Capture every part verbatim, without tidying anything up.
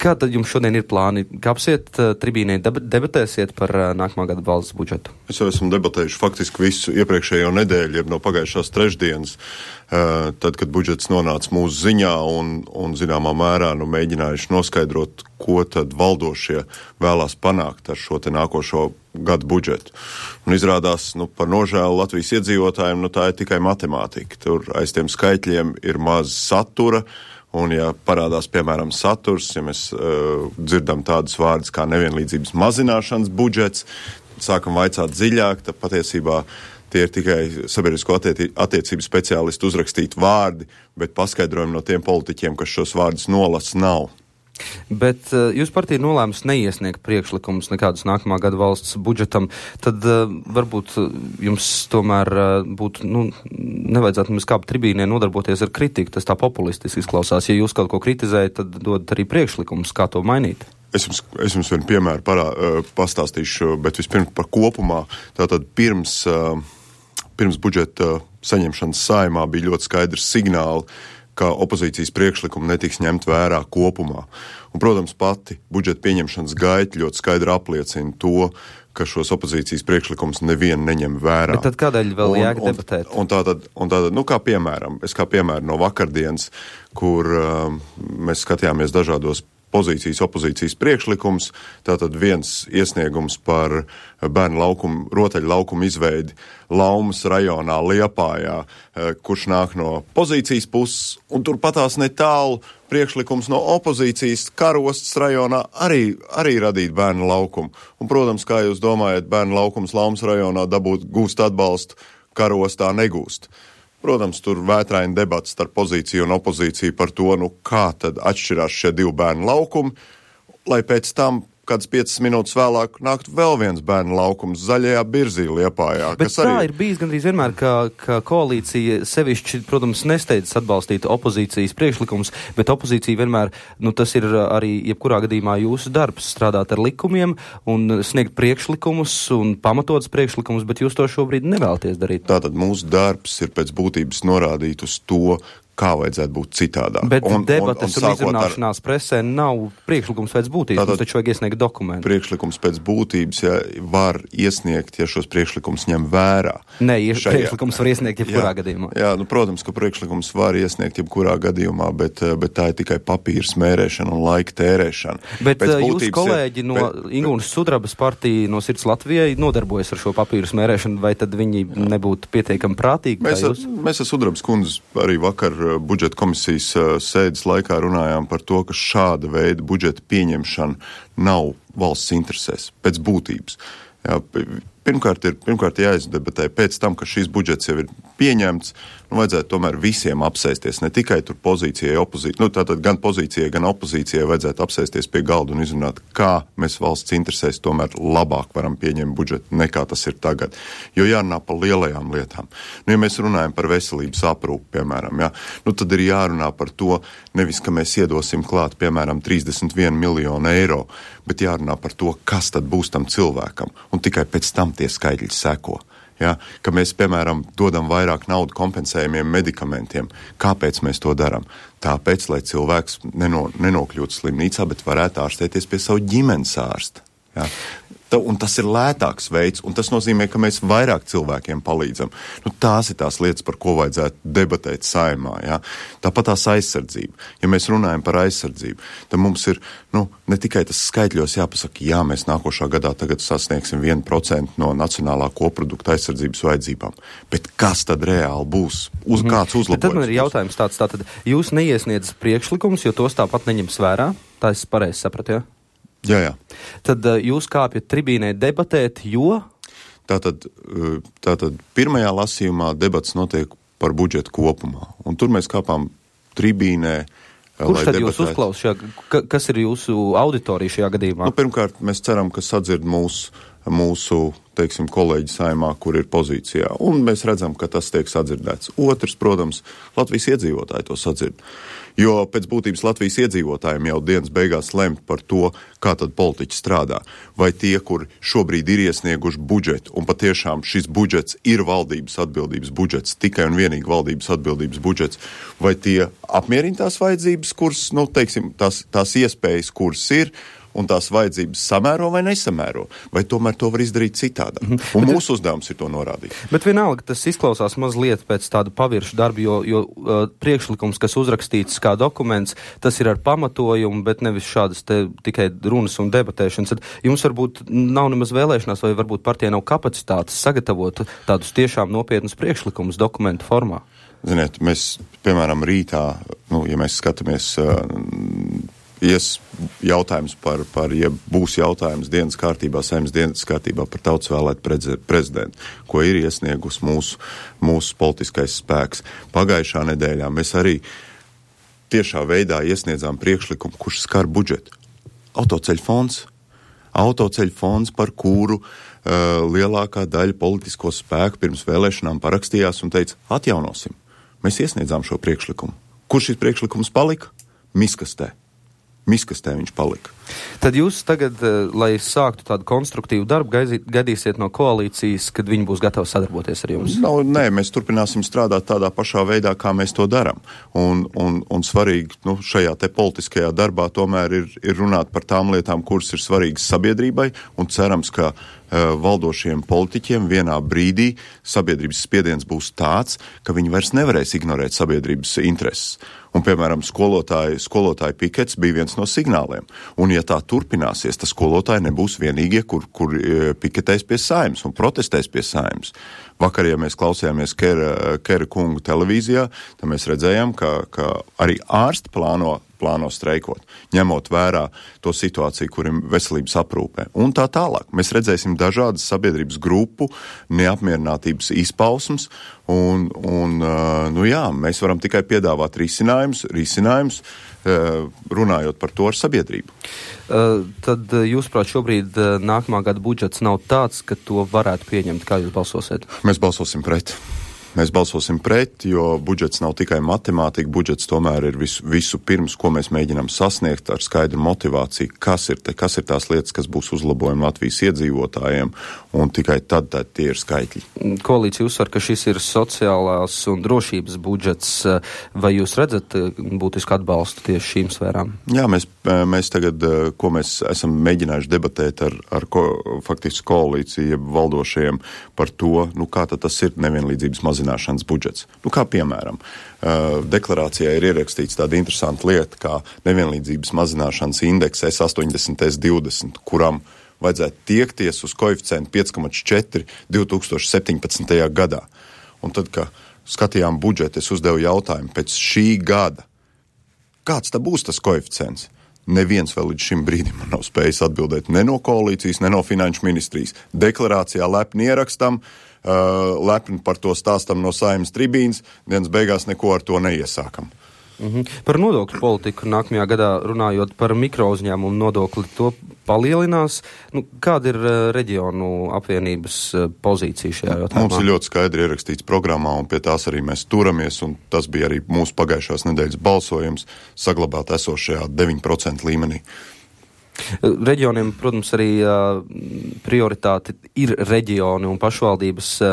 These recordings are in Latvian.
Kā tad jums šodien ir plāni? Kāpsiet uh, tribīnē, debatēsiet par uh, nākamā gada valsts budžetu? Es jau esmu debatējuši faktiski visu iepriekšējo nedēļu, jeb no pagājušās trešdienas, uh, tad, kad budžets nonāca mūsu ziņā un, un zināmā mērā nu, mēģinājuši noskaidrot, ko tad valdošie vēlās panākt ar šo te nākošo gadu budžetu. Un izrādās, nu, par nožēlu Latvijas iedzīvotājiem, nu, tā ir tikai matemātika. Tur aiz tiem skaitļiem ir maz satura, un ja parādās, piemēram, saturs, ja mēs uh, dzirdam tādus vārdus kā nevienlīdzības mazināšanas budžets, sākam vaicāt dziļāk, tad patiesībā tie ir tikai sabiedrisko attieti- attiecību speciālistu uzrakstīti vārdi, bet paskaidrojumi no tiem politiķiem, kas šos vārdus nolas, nav. Bet uh, jūs partija nolēmus neiesniegt priekšlikumus nekādus nākamā gada valsts budžetam, tad uh, varbūt uh, jums tomēr uh, būtu, nu, nevajadzētu mums kā tribīnē nodarboties ar kritiku, tas tā populistiski izklausās. Ja jūs kaut ko kritizējat, tad dodat arī priekšlikumus, kā to mainīt. Es jums, es jums vienu piemēru parā, uh, pastāstīšu, bet vispirms par kopumā. Tātad pirms, uh, pirms budžeta saņemšanas saimā bija ļoti skaidrs signāli, ka opozīcijas priekšlikumi netiks ņemt vērā kopumā. Un, protams, pati budžeta pieņemšanas gaita ļoti skaidri apliecina to, ka šos opozīcijas priekšlikumus nevienu neņem vērā. Bet tad kādēļ vēl jēga debatēt? Un, un tātad, un tātad, nu kā piemēram, es kā piemēru no vakardienas, kur um, mēs skatījāmies dažādos pozīcijas, opozīcijas priekšlikums, tātad viens iesniegums par bērnu laukumu, rotaļu laukumu izveidi Laumas rajonā Liepājā, kurš nāk no pozīcijas puses, un turpatās netālu priekšlikums no opozīcijas Karostas rajonā arī, arī radīt bērnu laukumu. Un, protams, kā jūs domājat, bērnu laukums Laumas rajonā dabūt gūst atbalstu, Karostā negūst. Protams, tur vētraini debats starp pozīciju un opozīciju par to, nu kā tad atšķirās šie divi bērnu laukumi, lai pēc tam kāds piecas minūtes vēlāk nāktu vēl viens bērnu laukums Zaļajā Birzī Liepājā. Bet tā arī... ir bijis gandrīz vienmēr, ka, ka koalīcija sevišķi, protams, nesteidzas atbalstīt opozīcijas priekšlikumus, bet opozīcija vienmēr, nu tas ir arī jebkurā gadījumā jūsu darbs, strādāt ar likumiem un sniegt priekšlikumus un pamatotas priekšlikumus, bet jūs to šobrīd nevēlaties darīt. Tātad mūsu darbs ir pēc būtības norādīt uz to, kā vajadzētu būt citādāk. Bet un, debates un, un, un izrunāšanās ar... presē nav priekšlikums pēc būtības, tātad, mums taču vajag iesniegt dokumentu. Priekšlikums pēc būtības, ja var iesniegt, ja šos priekšlikums ņem vērā. Nē, ja šajā... priekšlikums var iesniegt jebkurā jā, gadījumā. Jā, nu, protams, ka priekšlikums var iesniegt jebkurā gadījumā, bet, bet tā ir tikai papīra smērēšana un laika tērēšana. Bet pēc jūs būtības, kolēģi ja, no bet, Ingūnas Sudrabas partija no Sirds Latvijai nodarbojas ar šo papīru smērēšanu, vai tad viņi jā. nebūtu pietiekami prātīgi? Mēs, jūs? mēs ar Sudrabas kundzi arī vakar budžeta komisijas sēdes laikā runājām par to, ka šāda veida budžeta pieņemšana nav valsts interesēs, pēc būtības. Jā, pirmkārt ir pirmkārt jāizdebatē pēc tam, ka šis budžets jau ir pieņemts, nu vajadzētu tomēr visiem apsēsties, ne tikai tur pozīcijai, opozīcijai, nu tātad gan pozīcijai, gan opozīcijai vajadzētu apsēsties pie galda un izrunāt, kā mēs valsts interesēs tomēr labāk varam pieņemt budžetu, nekā tas ir tagad. Jo jārunā par lielajām lietām. Nu, ja mēs runājam par veselības aprūpi, piemēram, jā, nu tad ir jārunā par to, nevis, ka mēs iedosim klāt, piemēram, trīsdesmit vienu miljonu eiro, bet jārunā par to, kas tad būs tam cilvēkam, un tikai pēc tam tie skaitļi seko. Ja, ka mēs, piemēram, dodam vairāk naudu kompensējumiem medikamentiem. Kāpēc mēs to darām? Tāpēc, lai cilvēks neno, nenokļūtu slimnīcā, bet varētu ārstēties pie savu ģimenes ārsta. Ja. Un tas ir lētāks veids, un tas nozīmē, ka mēs vairāk cilvēkiem palīdzam. Nu, tās ir tās lietas, par ko vajadzētu debatēt saimā. Ja? Tāpat tās aizsardzība. Ja mēs runājam par aizsardzību, tad mums ir nu, ne tikai tas skaitļos jāpasaka, jā, mēs nākošā gadā tagad sasniegsim vienu procentu no nacionālā koprodukta aizsardzības vajadzībām. Bet kas tad reāli būs? Uz mm. kāds uzlabojums? Tad man ir jautājums tāds, tātad jūs neiesniedzat priekšlikumus, jo tos tāpat neņems vērā? Tā es pareizi sapratu, jā? Ja? Jā, jā. Tad uh, jūs kāpjat tribīnē debatēt, jo? Tātad, tātad pirmajā lasījumā debats notiek par budžetu kopumā. Un tur mēs kāpām tribīnē. Kurš tad jūs uzklaus šajā, ka, kas ir jūsu auditorija šajā gadījumā? Nu, pirmkārt, mēs ceram, ka sadzird mūsu mūsu, teiksim, kolēģi Saeimā, kur ir pozīcijā. Un mēs redzam, ka tas tiek sadzirdēts. Otrs, protams, Latvijas iedzīvotāji to sadzird. Jo pēc būtības Latvijas iedzīvotājiem jau dienas beigās lemt par to, kā tad politiķi strādā. Vai tie, kur šobrīd ir iesnieguši budžetu, un patiešām šis budžets ir valdības atbildības budžets, tikai un vienīgi valdības atbildības budžets, vai tie apmierina tās vajadzības, kuras, nu, teiksim, tās, tās iespējas, kuras ir, un tās vajadzības samēro vai nesamēro, vai tomēr to var izdarīt citādā. Mm-hmm. Un bet mūsu uzdevums ir to norādīt. Bet vienalga tas izklausās mazliet pēc tāda paviršu darba, jo, jo uh, priekšlikums, kas uzrakstīts kā dokuments, tas ir ar pamatojumu, bet nevis šādas te tikai runas un debatēšanas. Tad jums varbūt nav nemaz vēlēšanās, vai varbūt partijai nav kapacitātes sagatavot tādus tiešām nopietnus priekšlikumus dokumentu formā? Ziniet, mēs, piemēram, rītā, nu, ja mēs skatāmies... Uh, ies jautājums par, par, ja būs jautājums dienas kārtībā, Saeimas dienas kārtībā par tautas vēlētu prezidentu, ko ir iesniegus mūsu, mūsu politiskais spēks. Pagājušā nedēļā mēs arī tiešā veidā iesniedzām priekšlikumu, kurš skar budžetu. Autoceļu fonds. Autoceļu fonds, par kuru uh, lielākā daļa politisko spēku pirms vēlēšanām parakstījās un teica, atjaunosim. Mēs iesniedzām šo priekšlikumu. Kur šis priekšlikums palika? Miskastē. Miskastē viņš palika. Tad jūs tagad, lai sāktu tādu konstruktīvu darbu, gaidīt, gaidīsiet no koalīcijas, kad viņi būs gatavi sadarboties ar jums? No, nē, mēs turpināsim strādāt tādā pašā veidā, kā mēs to darām. Un, un, un svarīgi, nu, šajā te politiskajā darbā tomēr ir, ir runāt par tām lietām, kuras ir svarīgas sabiedrībai, un cerams, ka uh, valdošiem politiķiem vienā brīdī sabiedrības spiediens būs tāds, ka viņi vairs nevarēs ignorēt sabiedrības intereses. Un, piemēram, skolotāji, skolotāji pikets bija viens no signāliem. Un, ja tā turpināsies, tad skolotāji nebūs vienīgie, kur, kur piketēs pie Saeimas un protestēs pie Saeimas. Vakar, ja mēs klausījāmies Kera, Kera kungu televīzijā, tad mēs redzējām, ka, ka arī ārsti plāno, plāno streikot, ņemot vērā to situāciju, kurim veselības aprūpē. Un tā tālāk. Mēs redzēsim dažādas sabiedrības grupu neapmierinātības izpausmes, un, un nu jā, mēs varam tikai piedāvāt risinājumus, risinājumus, runājot par to ar sabiedrību. Uh, tad, jūsuprāt, šobrīd uh, nākamā gada budžets nav tāds, ka to varētu pieņemt. Kā jūs balsosiet? Mēs balsosim pret. Mēs balsosim pret, jo budžets nav tikai matemātika, budžets tomēr ir visu, visu pirms, ko mēs mēģinām sasniegt ar skaidru motivāciju, kas ir, te, kas ir tās lietas, kas būs uzlabojumi Latvijas iedzīvotājiem, un tikai tad, tad tie ir skaitļi. Koalīcija uzsver, ka šis ir sociālās un drošības budžets. Vai jūs redzat būtisku atbalstu tieši šīm sfērām? Jā, mēs, mēs tagad, ko mēs esam mēģinājuši debatēt ar, ar ko, faktiski koalīciju valdošajiem par to, nu kā tad tas ir nevienlīdzības mazināšanas budžets. Nu, kā piemēram, deklarācijā ir ierakstīts tāda interesanta lieta, kā nevienlīdzības mazināšanas indeks S astoņdesmit S divdesmit, kuram vajadzētu tiekties uz koeficientu pieci komats četri divi tūkstoši septiņpadsmitajā gadā. Un tad, kad skatījām budžetu, es uzdevu jautājumu pēc šī gada, kāds tā būs tas koeficients? Neviens vēl līdz šim brīdim man nav spējis atbildēt ne no koalīcijas, ne no finanšu ministrijas. Deklarācijā lepni ierakstam, uh, lepni par to stāstam no Saeimas tribīnas, dienas beigās neko ar to neiesākam. Mhm. Par nodokļu politiku nākamajā gadā runājot par mikrouzņēmumu nodokli, to palielinās. Nu, kāda ir uh, reģionu apvienības uh, pozīcija šajā jautājumā? Mums ir ļoti skaidri ierakstīts programmā, un pie tās arī mēs turamies, un tas bija arī mūsu pagājušās nedēļas balsojums saglabāt esošajā deviņu procentu līmenī. Reģioniem, protams, arī uh, prioritāte ir reģioni un pašvaldības, uh,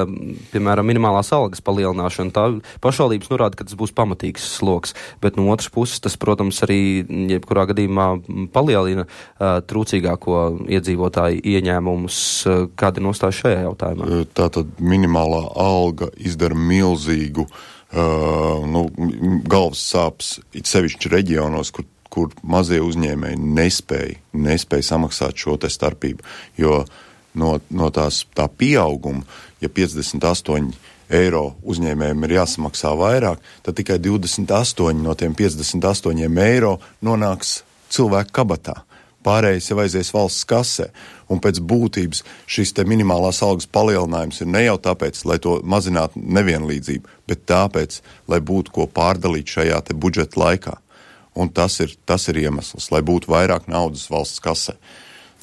piemēram, minimālās algas palielināšana. Tā pašvaldības norāda, ka tas būs pamatīgs sloks, bet no otras puses tas, protams, arī jebkurā gadījumā palielina uh, trūcīgāko iedzīvotāju ieņēmumus. Uh, kāda ir nostāja šajā jautājumā? Tātad minimālā alga izdara milzīgu uh, nu, galvas sāpes, it sevišķi reģionos, kur kur mazie uzņēmēji nespēja, nespēja samaksāt šo te starpību, jo no, no tās tā pieauguma, ja piecdesmit astoņi eiro uzņēmējiem ir jāsamaksā vairāk, tad tikai divdesmit astoņi no tiem piecdesmit astoņiem eiro nonāks cilvēku kabatā. Pārējais jau aizies valsts kasē, un pēc būtības šis te minimālās algas palielinājums ir ne jau tāpēc, lai to mazinātu nevienlīdzību, bet tāpēc, lai būtu ko pārdalīt šajā te budžeta laikā. Un tas ir, tas ir iemesls, lai būtu vairāk naudas valsts kasē.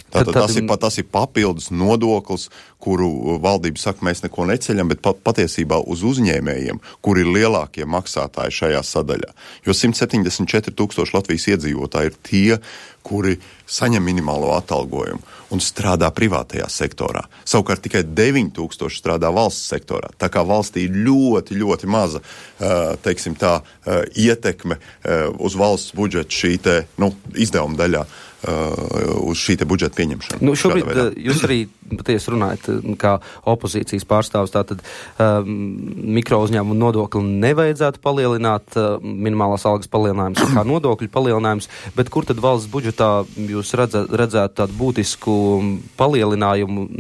Tātad tas ir, tas ir papildus nodoklis, kuru valdība saka, mēs neko neceļam, bet pat, patiesībā uz uzņēmējiem, kuri ir lielākie maksātāji šajā sadaļā. Jo simt septiņdesmit četri tūkstoši Latvijas iedzīvotāji ir tie, kuri saņem minimālo atalgojumu un strādā privātajā sektorā. Savukārt tikai deviņi tūkstoši strādā valsts sektorā. Tā kā valstī ir ļoti, ļoti maza, teiksim tā, ietekme uz valsts budžetu šī te, nu, izdevuma daļā. Uh, uz šī te budžeta pieņemšanu. Nu, šobrīd jūs arī patiesi runājat kā opozīcijas pārstāvs, tātad um, mikro uzņēmumu nodokli nevajadzētu palielināt, uh, minimālās algas palielinājums kā nodokļu palielinājums, bet kur tad valsts budžetā jūs redzat, redzētu tādu būtisku palielinājumu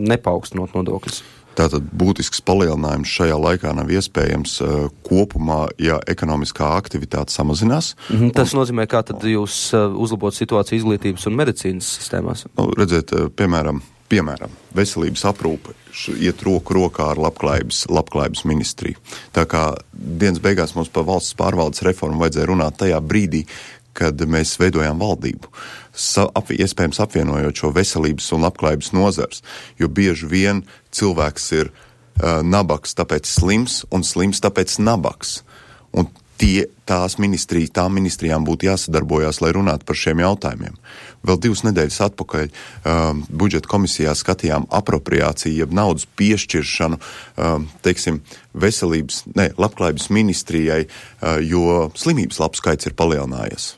nepaukstinot nodokļus? Tātad būtisks palielinājums šajā laikā nav iespējams uh, kopumā, ja ekonomiskā aktivitāte samazinās. Mm-hmm, tas un, nozīmē, kā tad jūs uh, uzlabot situāciju izglītības un medicīnas sistēmās? Nu, redziet, uh, piemēram, piemēram, veselības aprūpe iet roku rokā ar labklājības, labklājības ministriju. Tā kā dienas beigās mums par valsts pārvaldes reformu vajadzēja runāt tajā brīdī, kad mēs veidojām valdību, sa, ap, iespējams apvienojot šo veselības un labklājības nozars, jo bieži vien cilvēks ir uh, nabaks, tāpēc slims, un slims, tāpēc nabaks. Un tie, tās ministrijas, tām ministrijām būtu jāsadarbojās, lai runātu par šiem jautājumiem. Vēl divas nedēļas atpakaļ um, budžeta komisijā skatījām apropriāciju, jeb naudas piešķiršanu, um, teiksim, veselības, ne, labklājības ministrijai, uh, jo slimības lapu skaits ir palielinājies.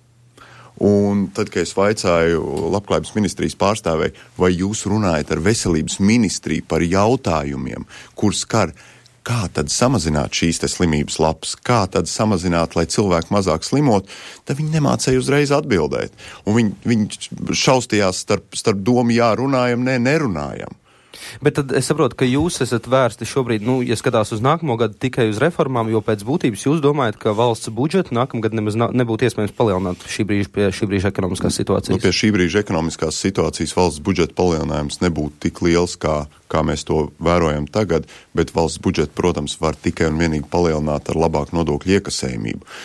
Un tad, kad es vaicāju labklājības ministrijas pārstāvēji, vai jūs runājat ar veselības ministriju par jautājumiem, kur skar, kā tad samazināt šīs te slimības lapas, kā tad samazināt, lai cilvēki mazāk slimot, tad viņi nemācēja uzreiz atbildēt. Un viņi, viņi šaustījās starp, starp domu, jā, runājam, nē, nerunājam. Bet tad es saprotu, ka jūs esat vērsti šobrīd, nu, ja skatās uz nākamo gadu tikai uz reformām, jo pēc būtības jūs domājat, ka valsts budžetu nākamgad nemaz nebūtu iespējams palielināt šī brīža pie šī brīža ekonomiskās situācijas. Nu, pie šī brīža ekonomiskās situācijas valsts budžeta palielinājums nebūtu tik liels, kā, kā mēs to vērojam tagad, bet valsts budžetu, protams, var tikai un vienīgi palielināt ar labāku nodokļu iekasējumību.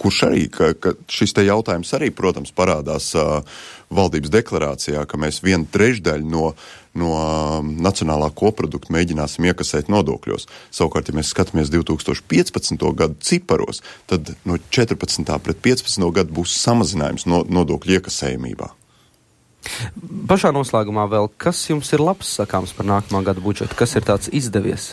Kurš arī, ka, ka šis te jautājums arī, protams, parādās uh, valdības deklarācijā, ka mēs vienu trešdaļu no, no uh, nacionālā koprodukta mēģināsim iekasēt nodokļos. Savukārt, ja mēs skatāmies divi tūkstoši piecpadsmito gadu ciparos, tad no četrpadsmitā pret piecpadsmito gadu būs samazinājums no, nodokļu iekasējumībā. Pašā noslēgumā vēl, kas jums ir labs sakāms par nākamā gada budžetu? Kas ir tāds izdevies?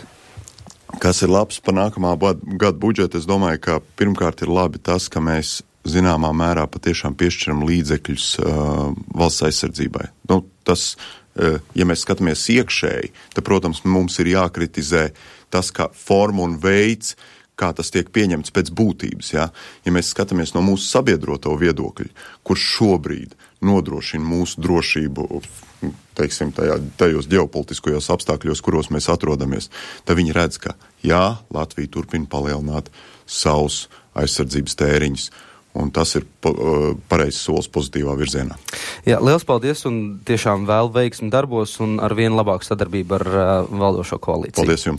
Kas ir labs par nākamā gada budžetu? Es domāju, ka pirmkārt ir labi tas, ka mēs zināmā mērā patiešām piešķiram līdzekļus uh, valsts aizsardzībai. Nu, tas, uh, ja mēs skatāmies iekšēji, tad, protams, mums ir jākritizē tas, kā forma un veids, kā tas tiek pieņemts pēc būtības. Ja, ja mēs skatāmies no mūsu sabiedroto viedokļa, kurš šobrīd nodrošina mūsu drošību, teiksim, tajā, tajos ģeopolitiskajos apstākļos, kuros mēs atrodamies, tad viņi redz, ka jā, Latvija turpina palielināt savus aizsardzības tēriņus, un tas ir pareizs solis pozitīvā virzienā. Jā, liels paldies un tiešām vēl veiksmi darbos un ar vien labāku sadarbību ar uh, valdošo koalīciju. Paldies jums!